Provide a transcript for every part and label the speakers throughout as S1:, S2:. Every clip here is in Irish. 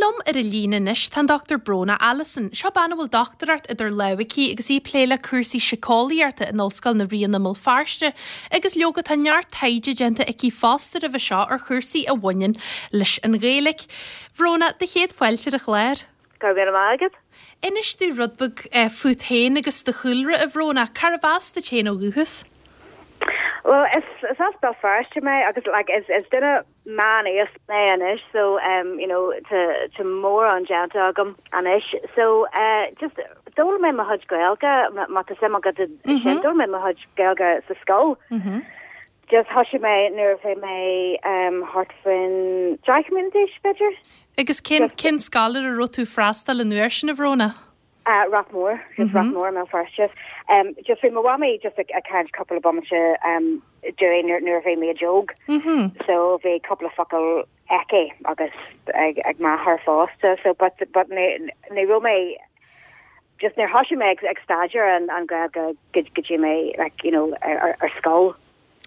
S1: Liom ar an líne anois tá an Dr Bróna Allison. Seo bean a bhfuil dochtúireacht idir lámha aici agus í ag plé le cúrsaí síceolaíochta in Ollscoil na Ríona i mBéal Feirste agus leoga tá neart taighde déanta aici fosta roimhe seo ar chúrsaí a bhaineann leis an Ghaeilge. Bhróna, do chéad fáilte ar an chlár.
S2: Go raibh míle maith agat.
S1: Inis domh rud beag fút féin agus do chúlra, a Bhróna. Cárb as duit féin ó dhúchas?
S2: Bhuel, is as Béal Feirste mé agus like is duine meán-aosta mé anois so um you know tá tá mórán déanta agam anois so uh just d'fhoghlaim mé mo chuid Gaeilge má tá suim agat sin d'fhoghlaim mé mo chuid Gaeilge sa scoil. Just thosaigh mé nuair a bhí mé um thart faoin 10 mbliana d'aois b'fhéidir.
S1: Agus cén cén scoil ar a raibh tú ag freastal an uair sin a Bhróna?
S2: Ráth Mór, just Ráth Mór i mBéal Feirste. Just bhí mo mhamaí just ag caint cúpla bomaite dúinn nuair a bhí muid óg. So bhí cúpla focal aici agus ag m'athair fosta. So but but ní raibh mé just níor thosaigh mé ag staidéar an Ghaeilge go dtí mé like you know ar scoil.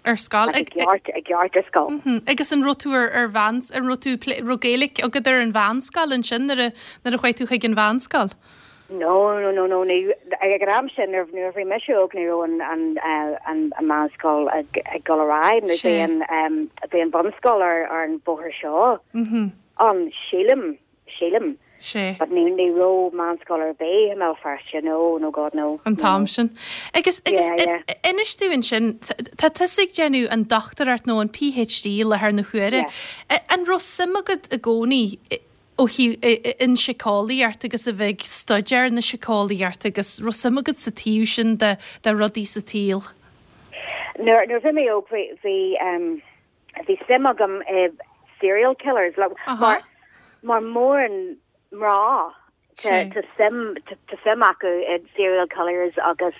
S1: Ar scoil.
S2: I gceart, i gceart ar scoil.
S1: Agus an raibh tú ar, ar mheán, an raibh tú, raibh Gaeilge agat ar an mheánscoil ansin nuair a, nuair a chuaigh tú chuig an mheánscoil?
S2: No, no, no, no, ní, ag an am sin nuair, nuair a bhí mise óg ní raibh an, an, an, an meánscoil ag, ag dul ar aghaidh, nó bhí an, bhí an bhunscoil ar, ar an bhóthar seo ann, sílim. sílim.
S1: Sea.
S2: But ní, ní raibh meánscoil ar bith i mBéal Feirste, no, no God no.
S1: An t-am sin. Agus, agus
S2: Yeah, yeah.
S1: inis dúinn ansin, tá tusa ag déanamh an dochtúireacht nó an PhD i láthair na huaire.
S2: Yeah.
S1: An raibh suim agat i gcónaí ó thaobh an síceolaíocht agus a bheith ag staidéar na síceolaíochta agus raibh suim agat sa taobh sin de, de rudaí sa tsaol?
S2: Nuair, nuair a bhí mé óg bhí, bhí, um, Bhí suim agam i serial killers like, mar mar mórán mná tá suim tá suim acu i serial killers agus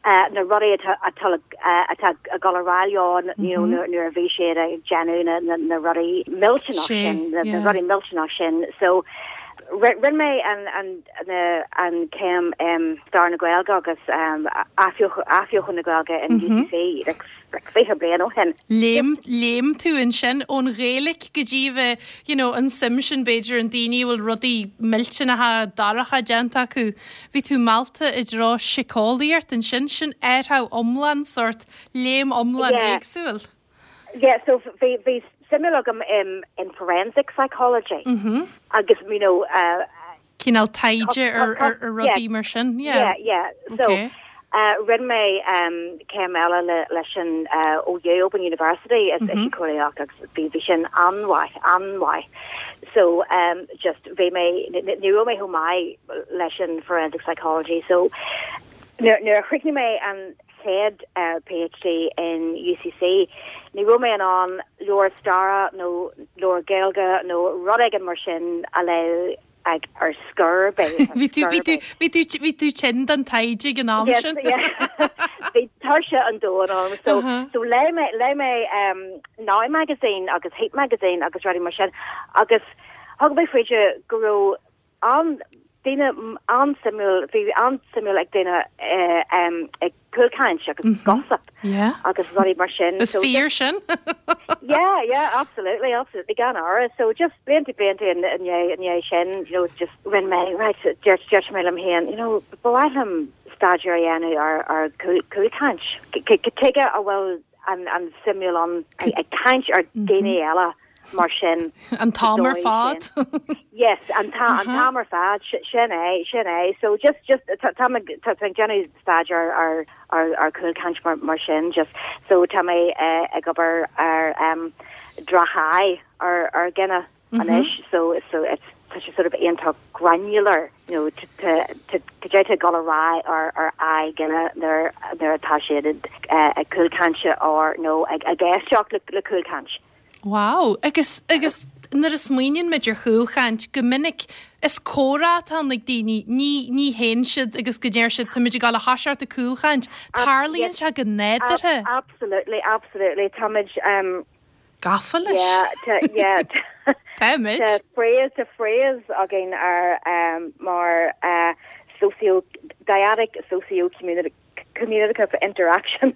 S2: na rudaí atá atá atá ag dul ar aghaidh leo you know nuair nuair a bhí siad ag déanamh na na na rudaí millteanach sin na na rudaí millteanach sin so rinne mé an an na an céim stair na Gaeilge agus athbheochan na Gaeilge in UCC like like 20 bliain ó shin.
S1: Léim, léim tú ansin ón Ghaeilge go dtí bheith, you know, an suim sin b'fhéidir in daoine a bhfuil rudaí millteanacha dorcha déanta acu. Bhí tú meallta i dtreo síceolaíocht ansin, sin athrú iomlán sórt, léim iomlán
S2: Yeah.
S1: éagsúil.
S2: Yeah, so bhí, bhí suim agam in, in forensic psychology agus, you know, uh,
S1: cineál taighde ar rudaí mar sin.
S2: Yeah, yeah. So rinne mé céim eile leis an OU, Open University, i síceolaíocht agus bhí bhí sin an-mhaith, an-mhaith. So just bhí mé, ní raibh mé chomh maith leis an forensic psychology. So nuair a chríochnaigh mé an chéad PhD in UCC, ní raibh mé in ann leabhar staire nó leabhar Gaeilge nó rud éigin mar sin a léamh ag ar scor ar bith, ar
S1: Bhí tú,
S2: scor
S1: bhí
S2: ar
S1: tú,
S2: bith.
S1: bhí tú, bhí tú tinn don taighde ag an am
S2: Yes,
S1: sin.
S2: yeah. Bhí tuirse an domhain orm. So, so léigh mé, léigh mé um, Now Magazine agus Heat Magazine agus rudaí mar sin agus thug mé faoi deara go raibh an daoine an-suimiúil, bhí an-suimiúil ag daoine ag cúlchaint agus gossip agus rudaí mar sin.
S1: Is fíor sin.
S2: Yeah, yeah, absolutely, absolutely, gan amhras. So just blianta blianta i ndiaidh sin, you know, just rinne mé, right, dúirt dúirt mé liom féin, you know, ba mhaith liom staidéar a dhéanamh ar ar cúlchaint. Tuige a bhfuil an an suimiúil ann ag caint ar daoine eile mar sin.
S1: An t-am ar fad.
S2: Yes, an t-am ar fad, sin é, sin é. So just, just, tá mé tá ag déanamh staidéar ar ar ar cúlchaint mar mar sin, just, so tá mé ag obair ar droch-aghaidh ar ar dhuine anois, so so it's tá sé sort of iontach granular, you know, cad é atá ag dul ar aghaidh ar ar aghaidh duine nuair nuair atá siad ag cúlchaint or nó ag ag éisteacht le le cúlchaint.
S1: Wow! Agus, agus nuair a smaoiníonn muid ar chúlchaint, go minic is comhrá atá ann ag daoine, ní, ní théann siad agus go ndeir siad táimid ag dul a thoiseacht ag cúlchaint. Tarlaíonn sé go nádúrtha.
S2: Absolutely, absolutely. Táimid, um,
S1: Gafa leis.
S2: yeah, tá, yeah,
S1: Táimid.
S2: Tá phrase, tá phrase againn ar, um, mar, uh, socio, dyadic socio-community, communicative interaction.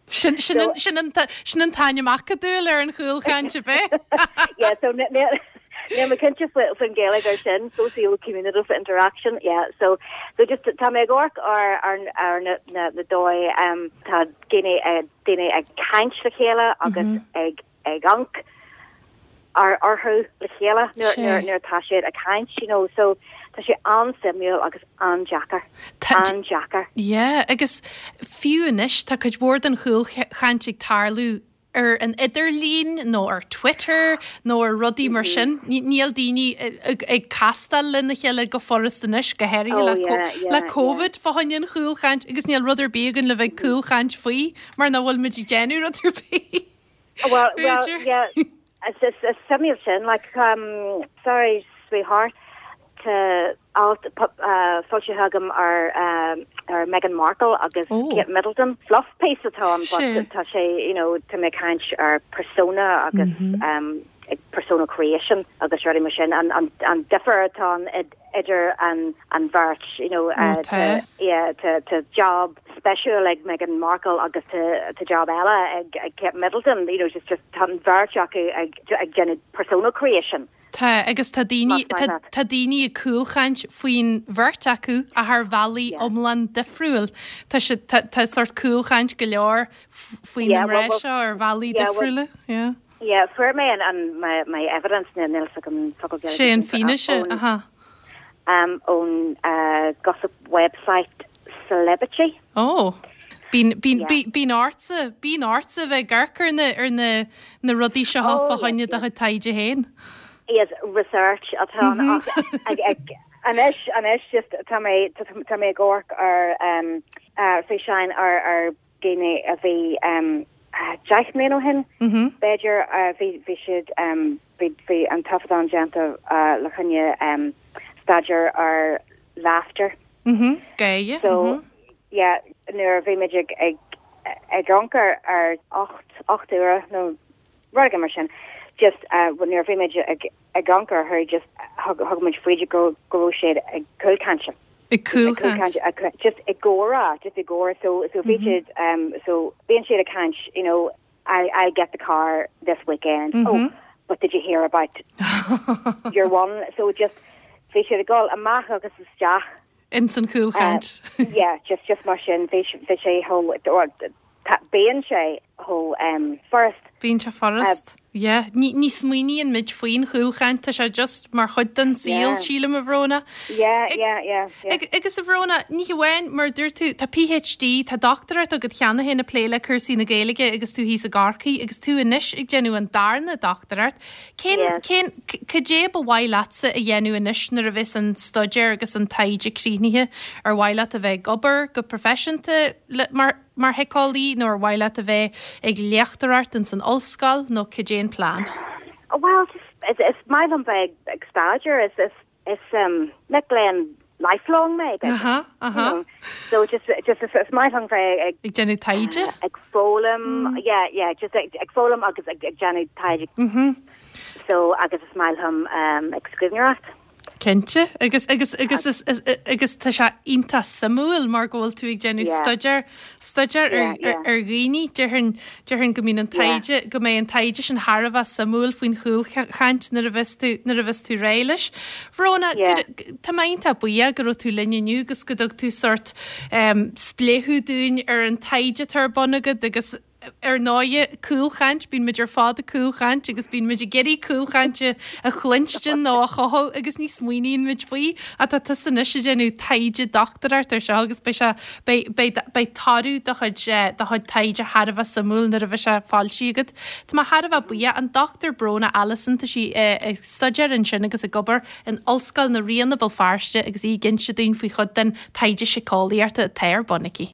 S1: Sin, sin an, sin an, sin an t-ainm acadúil ar an chúlchaint, ab é?
S2: Yeah, so níl Níl mé cinnte faoin Ghaeilge ar sin, socio-communitive interaction, yeah, so so just tá mé ag amharc ar ar ar na na na dóigh um, tá daoine daoine ag caint le chéile agus ag ag amharc ar orthu le chéile nuair nuair nuair atá siad ag caint, you know, so tá sé an-suimiúil agus an-deacair, an-deacair.
S1: Yeah, agus fiú anois tá cuid mhór den chúlchaint ag tarlú ar an idirlíon nó ar Twitter nó ar rudaí mar sin. Níl daoine ag castáil lena chéile go furast anois, go háirithe le Covid fá choinne an chúlchaint agus níl rud ar bith againn le bheith ag cúlchaint faoi mar nach bhfuil muid ag déanamh rud ar bith.
S2: Well, well, yeah, is suimiúil sin, like, um, sorry, sweetheart, tá alt foilsithe agam ar ar Meghan Markle agus Kate Middleton. Fluff piece atá ann but tá sé, you know, tá mé ag caint ar persona agus persona creation agus rudaí mar sin, an difear atá ann idir an an bheirt, you know, tá yeah tá tá job speisiúil ag Meghan Markle agus tá tá job eile ag ag Kate Middleton, you know, just just tá an bheirt acu ag ag déanamh persona creation.
S1: Tá, agus tá daoine, tá, tá daoine ag cúlchaint faoin bheirt acu ach ar bhealaí iomlán difriúil. Tá siad, tá, tá sórt cúlchaint go leor faoi na mná seo ar bhealaí difriúla.
S2: Yeah. Yeah, fuair mé an, an, my, my evidence, níl a fhios agam
S1: focal Gaeilge. Sé an fianaise, aha.
S2: Um, ón uh, gossip website Celebici.
S1: Oh. Bíonn, bíonn, yeah. bíonn ortsa, bíonn ortsa bheith ag amharc ar na, ar na, na rudaí seo oh, fá choinne do chuid taighde féin.
S2: Yes, research atá ann ach ag, ag, anois, anois just tá mé, tá mé ag amharc ar um, uh, físeáin ar, ar daoine a bhí um, 10 mbliana ó shin, mm -hmm. b'fhéidir, uh, bhí, bhí siad, um, bhí, bhí an taifeadán déanta uh, le choinne um, staidéar ar laughter.
S1: Mhm, gáire.
S2: So, yeah, nuair a bhí muid ag, ag, ag amharc ar, ar 8, 8 uaire nó rud éigin mar sin, just, uh, nuair a bhí muid ag, ag amharc orthu, just thug, thug muid faoi deara go, go raibh siad ag cúlchaint.
S1: Ag cúlchaint.
S2: Ag cúlchaint, just i gcomhrá, just i gcomhrá. So, so bhí siad, um, so bíonn siad ag caint, you know, I, I get the car this weekend. Mm -hmm. Oh, but did you hear about your one? So just bhí siad ag dul amach agus isteach.
S1: Ins an chúlchaint.
S2: Uh, yeah, just just mar sin bhí bhí sé chomh bíonn sé chomh um, furast.
S1: Bíonn sé furast. Uh, yeah. Ní, ní smaoiníonn muid faoin chúlchaint, tá sé just mar chuid den saol, sílim, a Bhróna.
S2: Yeah, yeah, yeah, yeah.
S1: Agus a Bhróna, ní hamháin, mar a dúirt tú, tá PhD, tá dochtúireacht agat cheana féin ag plé le cúrsaí na Gaeilge agus tú thíos i gCorcaigh agus tú anois ag déanamh an darna dochtúireacht. Cén, cén, cad é ba mhaith leatsa a dhéanamh anois nuair a bheas an staidéar agus an taighde críochnaithe? Ar mhaith leat a bheith ag obair go proifisiúnta le, mar, mar shíceolaí nó ar mhaith leat a bheith ag léachtóireacht ins an ollscoil nó cad é an plean?
S2: Bhuel, just, is, is maith liom bheith ag staidéar, is, is, Is mic léinn lifelong mé, b'fhéidir.
S1: Aha, aha. You know,
S2: so just, just is, is maith liom bheith
S1: ag... Ag déanamh taighde?
S2: Ag foghlaim, yeah, yeah, just ag, ag foghlaim agus ag, ag déanamh taighde.
S1: Mm-hmm.
S2: So, agus is maith liom um, ag scríbhneoireacht.
S1: Cinnte, agus, agus, agus, is, is, agus tá sé iontach suimiúil mar go bhfuil tú ag déanamh yeah. staidéar, staidéar ar, yeah, yeah. ar, ar dhaoine. Déarfainn, déarfainn go mbíonn an taighde, go mbeidh an taighde sin thar a bheith suimiúil faoin chúlchaint nuair a bheas tú, nuair a bheas tú réidh leis. Bhróna, tá mé iontach buíoch go raibh tú linn inniu agus go dtug tú sórt spléachadh dúinn ar an taighde atá ar bun agat agus ar ndóighe, cúlchaint, bíonn muid ar fad ag cúlchaint agus bíonn muid ag iarraidh cúlchaint a chluinstin nó a chothú agus ní smaoiníonn muid faoi ach tá tusa anois ag déanamh taighde dochtúireacht ar seo agus beidh sé Beidh, beidh, beidh toradh do chuid, do chuid taighde thar a bheith suimiúil nuair a bheidh sé foilsithe agat. Tá mé thar a bheith buíoch. An Dr Bróna Allison, tá sí ag staidéar ansin agus ag obair in Ollscoil na Ríona, Béal Feirste agus í ag inse dúinn faoi chuid den taighde síceolaíochta atá ar bun aici.